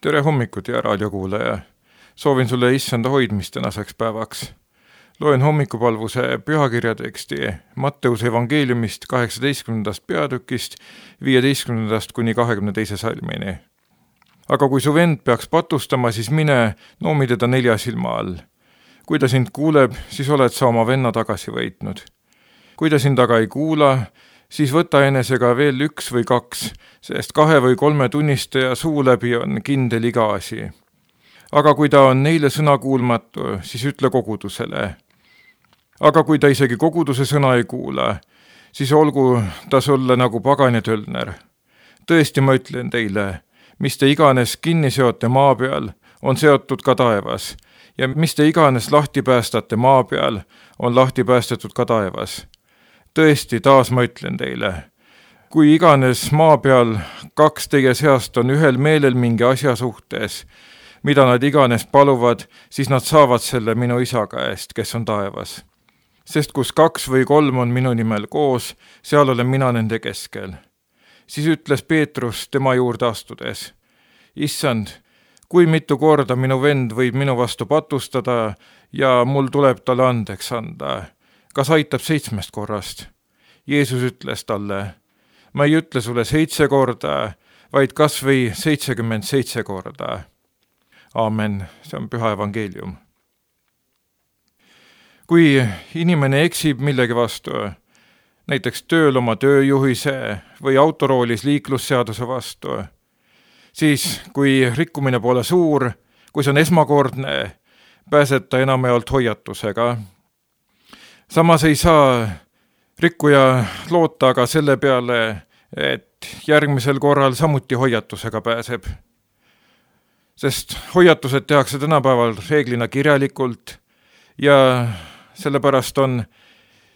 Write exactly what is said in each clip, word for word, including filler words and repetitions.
Tere hommikut, hea raadiokuulaja! Soovin sulle issanda hoidmist tänaseks päevaks. Loen hommikupalvuse pühakirja teksti Matteuse evangeeliumist kaheksateistkümnendast peatükist viieteistkümnendast kuni kahekümne teise salmini. Aga kui su vend peaks patustama, siis mine noomi teda nelja silma all. Kui ta sind kuuleb, siis oled sa oma venna tagasi võitnud. Kui ta sind aga ei kuula, siis võta enesega veel üks või kaks, sest kahe või kolme tunnistaja suu läbi on kindel iga asi. Aga kui ta on neile sõna kuulmatu, siis ütle kogudusele. Aga kui ta isegi koguduse sõna ei kuula, siis olgu ta sulle nagu pagan ja tölner. Tõesti ma ütlen teile, mis te iganes kinni seote maa peal, on seotud ka taevas, ja mis te iganes lahti päästate maa peal, on lahti päästetud ka taevas. Tõesti, taas ma ütlen teile, kui iganes maa peal kaks teie seast on ühel meelel mingi asja suhtes, mida nad iganes paluvad, siis nad saavad selle minu isa käest, kes on taevas. Sest kus kaks või kolm on minu nimel koos, seal olen mina nende keskel. Siis ütles Peetrus tema juurde astudes, Issand, kui mitu korda minu vend võib minu vastu patustada ja mul tuleb talle andeks anda, kas aitab seitsmest korrast? Jeesus ütles talle, ma ei ütle sulle seitse korda, vaid kas või seitsekümmend seitse korda. Aamen, see on püha evangeelium. Kui inimene eksib millegi vastu, näiteks tööl oma tööjuhise või autoroolis liiklusseaduse vastu, siis kui rikkumine pole suur, kui see on esmakordne, pääseb ta enamjaolt hoiatusega. Samas ei saa rikkuja loota aga selle peale, et järgmisel korral samuti hoiatusega pääseb. Sest hoiatused tehakse tänapäeval reeglina kirjalikult ja sellepärast on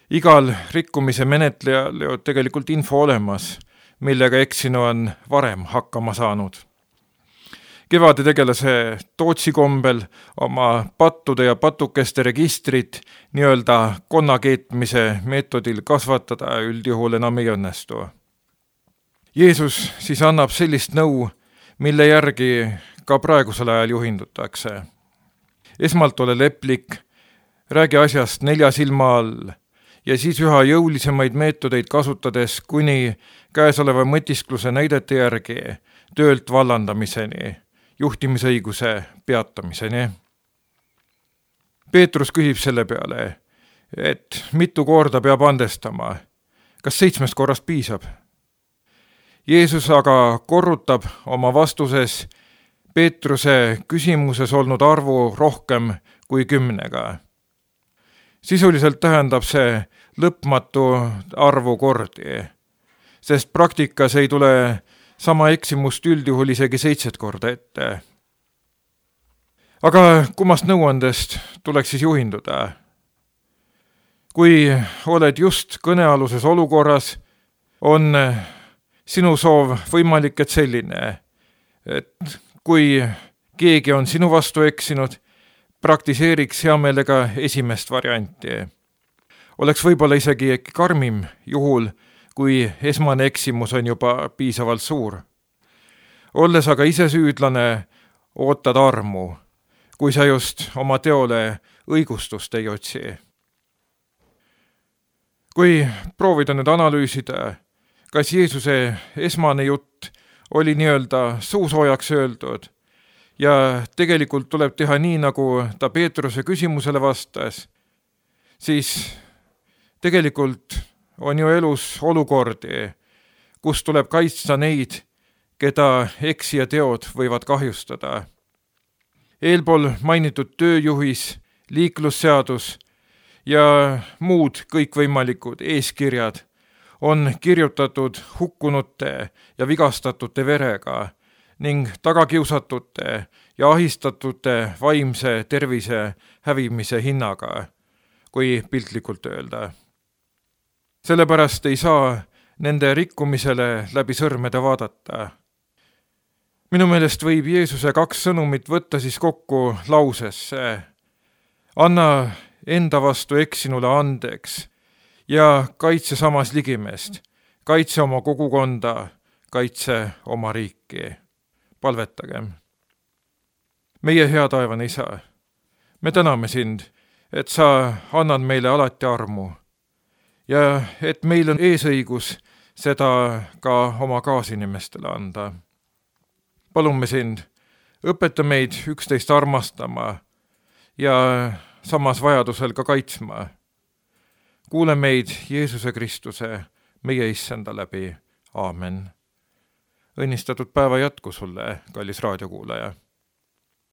igal rikkumise menetlejal ju tegelikult info olemas, millega eksinu on varem hakkama saanud. Kevade tegelase Tootsi kombel oma pattude ja patukeste registrit nii-öelda konnakeetmise meetodil kasvatada üldjuhul enam ei õnnestu. Jeesus siis annab sellist nõu, mille järgi ka praegusel ajal juhindutakse. Esmalt ole leplik, räägi asjast nelja silma all ja siis üha jõulisemaid meetodeid kasutades kuni käesoleva mõtiskluse näidete järgi töölt vallandamiseni, juhtimisõiguse peatamiseni. Peetrus küsib selle peale, et mitu korda peab andestama, kas seitsmest korrast piisab? Jeesus aga korrutab oma vastuses Peetruse küsimuses olnud arvu rohkem kui kümnega. Sisuliselt tähendab see lõpmatu arvu kordi, sest praktikas ei tule sama eksimust üldjuhul isegi seitset korda ette. Aga kummast nõuandest tuleks siis juhinduda? Kui oled just kõnealuses olukorras, on sinu soov võimalik, et selline, et kui keegi on sinu vastu eksinud, praktiseeriks hea meelega esimest varianti. Oleks võib-olla isegi karmim juhul, kui esmane eksimus on juba piisavalt suur. Olles aga ise süüdlane, ootad armu, kui sa just oma teole õigustust ei otsi. Kui proovida nüüd analüüsida, kas Jeesuse esmane jutt oli nii-öelda suusoojaks öeldud ja tegelikult tuleb teha nii, nagu ta Peetruse küsimusele vastas, siis tegelikult on ju elus olukordi, kus tuleb kaitsta neid, keda eksija teod võivad kahjustada. Eelpool mainitud tööjuhis, liiklusseadus ja muud kõikvõimalikud eeskirjad on kirjutatud hukkunute ja vigastatute verega ning tagakiusatute ja ahistatute vaimse tervise hävimise hinnaga, kui piltlikult öelda. Sellepärast ei saa nende rikkumisele läbi sõrmede vaadata. Minu meelest võib Jeesuse kaks sõnumit võtta siis kokku lausesse. Anna enda vastu eksinule andeks ja kaitse samas ligimest, kaitse oma kogukonda, kaitse oma riiki. Palvetagem. meie hea taevane Isa, me täname sind, et sa annad meile alati armu ja et meil on eesõigus seda ka oma kaasinimestele anda. Palume sind, õpeta meid üksteist armastama ja samas vajadusel ka kaitsma. Kuule meid Jeesuse Kristuse, meie issanda läbi. Aamen. Õnnistatud päeva jätku sulle, kallis raadiokuulaja.